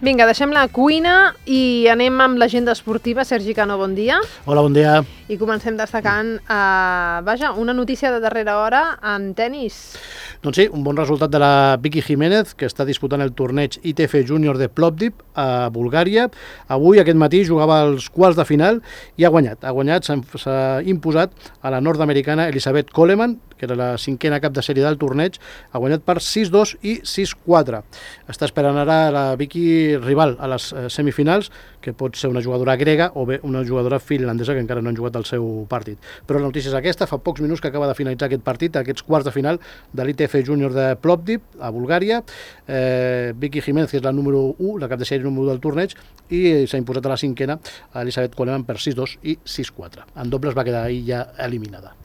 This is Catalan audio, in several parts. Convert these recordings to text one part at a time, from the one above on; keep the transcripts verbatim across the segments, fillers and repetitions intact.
Vinga, deixem la cuina i anem amb l'agenda esportiva. Sergi Cano, bon dia. Hola, bon dia. I comencem destacant, eh, vaja, una notícia de darrera hora en tennis. Doncs sí, un bon resultat de la Vicky Jiménez, que està disputant el torneig I T F Júnior de Plovdiv a Bulgària. Avui, aquest matí, jugava els quarts de final i ha guanyat. Ha guanyat, s'ha imposat a la nord-americana Elisabeth Coleman, que era la cinquena cap de sèrie del torneig, ha guanyat per sis dos i sis quatre. Està esperant ara la Vicky rival a les semifinals, que pot ser una jugadora grega o bé una jugadora finlandesa que encara no han jugat el seu partit. Però la notícia és aquesta, fa pocs minuts que acaba de finalitzar aquest partit, aquests quarts de final de l'I T F Júnior de Plovdiv, a Bulgària. Eh, Vicky Jiménez, que és la número u, la cap de sèrie número u del torneig, i s'ha imposat a la cinquena, a Elisabeth Coleman, per sis dos i sis quatre. En dobles va quedar ahir ja eliminada.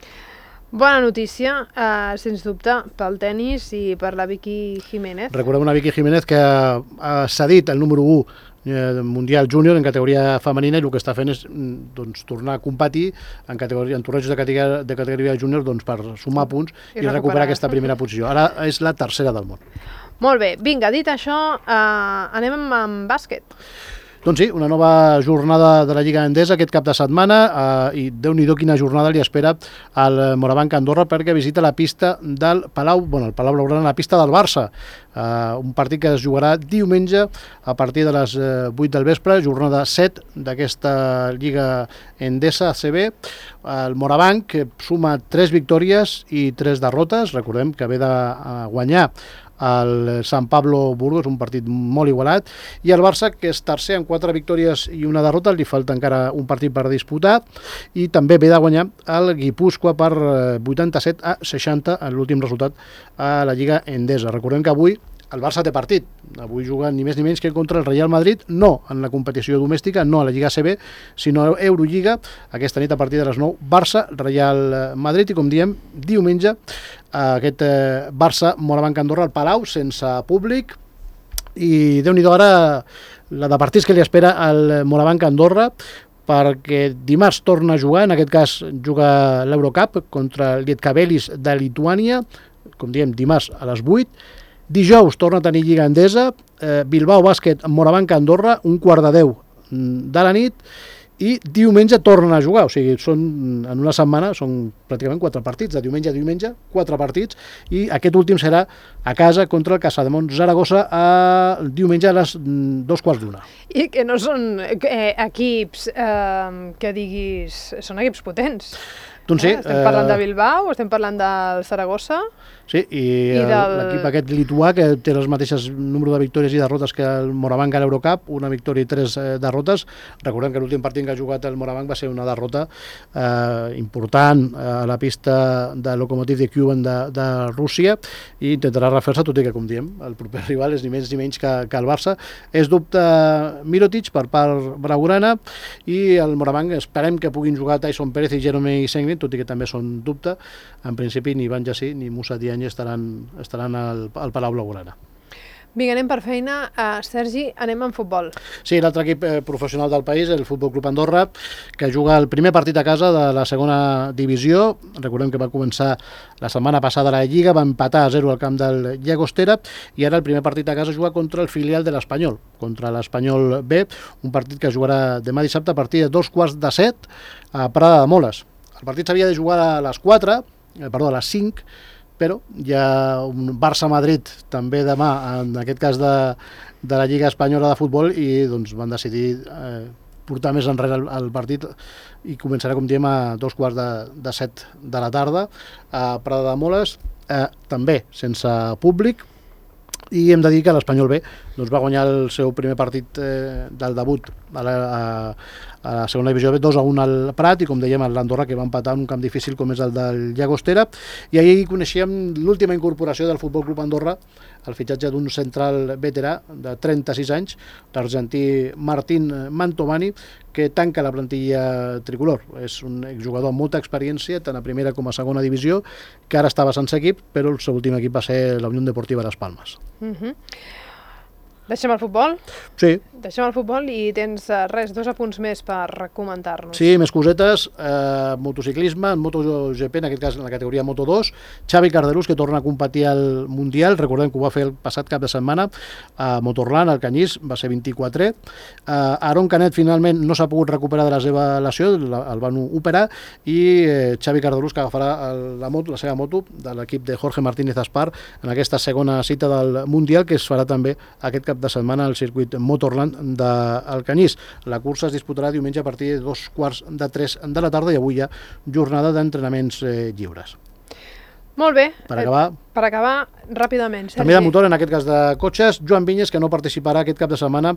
Bona notícia, eh, sens dubte, pel tennis i per la Vicky Jiménez. Recordem una Vicky Jiménez que ha cedit el número u mundial júnior en categoria femenina i el que està fent és doncs, tornar a competir en, categoria, en tornejos de categoria, de categoria júnior doncs, per sumar punts i, i recuperar. recuperar aquesta primera posició. Ara és la tercera del món. Molt bé, vinga, dit això, eh, anem amb, amb bàsquet. Doncs sí, una nova jornada de la Lliga Endesa aquest cap de setmana eh, i Déu-n'hi-do quina jornada li espera al Morabanc Andorra perquè visita la pista del Palau, bueno, el Palau Blaugrana, la pista del Barça. Eh, un partit que es jugarà diumenge a partir de les eh, vuit del vespre, jornada set d'aquesta Lliga Endesa A C B. El Morabanc que suma tres victòries i tres derrotes, recordem que ve de eh, guanyar el San Pablo Burgos, un partit molt igualat, i el Barça, que és tercer amb quatre victòries i una derrota, li falta encara un partit per disputar, i també ve de guanyar el Guipúscoa per vuitanta-set a seixanta en l'últim resultat a la Lliga Endesa. Recordem que avui el Barça té partit, avui juga ni més ni menys que contra el Real Madrid, no en la competició domèstica, no a la Lliga A C B, sinó a Eurolliga, aquesta nit a partir de les nou, Barça, Real Madrid, i com diem, diumenge, aquest Barça Morabanc Andorra al Palau, sense públic, i Déu-n'hi-do ara la de partits que li espera al Morabanc Andorra, perquè dimarts torna a jugar, en aquest cas juga l'Eurocup contra el Lietkabelis de Lituània, com diem, dimarts a les vuit. Dijous torna a tenir Lliga Endesa, eh, Bilbao Bàsquet Morabanc Andorra, un quart de deu de la nit, i diumenge tornen a jugar, o sigui, són, en una setmana són pràcticament quatre partits, de diumenge a diumenge, quatre partits, i aquest últim serà a casa contra el Casademont Zaragoza el diumenge a les dos quarts d'una. I que no són eh, equips eh, que diguis, són equips potents. Doncs sí, eh? Estem parlant de Bilbao, estem parlant del Zaragoza. Sí, i, I del... l'equip aquest lituà que té les mateixes número de victòries i derrotes que el Morabanc a l'Eurocup, una victòria i tres eh, derrotes. Recordem que l'últim partit que ha jugat el Morabanc va ser una derrota eh, important a la pista de Lokomotiv de Kuban de, de Rússia, i intentarà refer-se, tot i que, com diem, el proper rival és ni més ni menys que, que el Barça. És dubte Mirotic per part blaugrana, i el Morabanc esperem que puguin jugar Tyson Pérez i Jeremy Senglin, tot i que també són dubte. En principi ni Ivan Jassí ni Moussa Diagne estaran, estaran al, al Palau Blaugrana. Vinga, anem per feina. Uh, Sergi, anem en futbol. Sí, l'altre equip eh, professional del país, el Futbol Club Andorra, que juga el primer partit a casa de la segona divisió. Recordem que va començar la setmana passada la Lliga, va empatar a zero al camp del Llagostera, i ara el primer partit a casa juga contra el filial de l'Espanyol, contra l'Espanyol B, un partit que jugarà demà dissabte a partir de dos quarts de set a Prada de Moles. El partit s'havia de jugar a les quatre, eh, perdó, a les cinc, però hi ha un Barça-Madrid també demà, en aquest cas de, de la Lliga Espanyola de Futbol, i doncs van decidir eh, portar més enrere el, el partit, i començarà, com diem, a dos quarts de, de set de la tarda a Prada de Moles, eh, també sense públic. I hem de dir que l'Espanyol B doncs, va guanyar el seu primer partit eh, del debut a la, a, a la segona divisió B, dos a un al Prat, i com dèiem l'Andorra, que va empatar en un camp difícil com és el del Llagostera. I ahir coneixíem l'última incorporació del Futbol Club Andorra, el fitxatge d'un central veterà de trenta-sis anys, l'argentí Martín Mantovani, que tanca la plantilla tricolor. És un jugador amb molta experiència, tant a primera com a segona divisió, que ara estava sense equip, però el seu últim equip va ser la Unió Deportiva Las Palmas. Uh-huh. Deixem el futbol? Sí. Deixem el futbol i tens, uh, res, dos apunts més per comentar-nos. Sí, més cosetes. Eh, motociclisme, en MotoGP, en aquest cas en la categoria Moto dos. Xavi Cardelús, que torna a competir al Mundial. Recordem que ho va fer el passat cap de setmana a Motorland, al Canyís, va ser vint-i-quatre. Eh, Aaron Canet finalment no s'ha pogut recuperar de la seva lesió, el van operar, i eh, Xavi Cardelús, que agafarà el, la, moto, la seva moto de l'equip de Jorge Martínez Aspar en aquesta segona cita del Mundial, que es farà també aquest cap de setmana al circuit Motorland del Canyís. La cursa es disputarà diumenge a partir de dos quarts de tres de la tarda i avui hi ha jornada d'entrenaments eh, lliures. Molt bé. Per acabar... Per acabar, ràpidament, Sergi. També de motor, en aquest cas de cotxes, Joan Vinyes, que no participarà aquest cap de setmana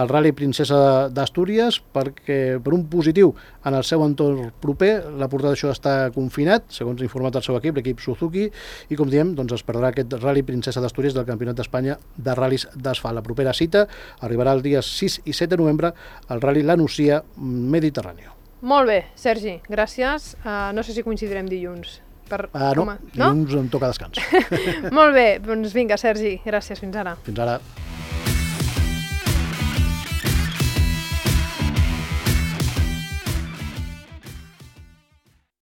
al Rally Princesa d'Astúries, perquè per un positiu en el seu entorn proper, la portada d'això està confinat, segons ha informat el seu equip, l'equip Suzuki, i com diem, doncs es perdrà aquest Rally Princesa d'Astúries del Campionat d'Espanya de ral·lis d'asfalt. La propera cita arribarà el dia sis i set de novembre al Rally La Nucia Mediterráneo. Molt bé, Sergi, gràcies. Uh, no sé si coincidirem dilluns. Per... Uh, no, no, dilluns em toca descans. Molt bé, doncs vinga, Sergi, gràcies, fins ara. Fins ara.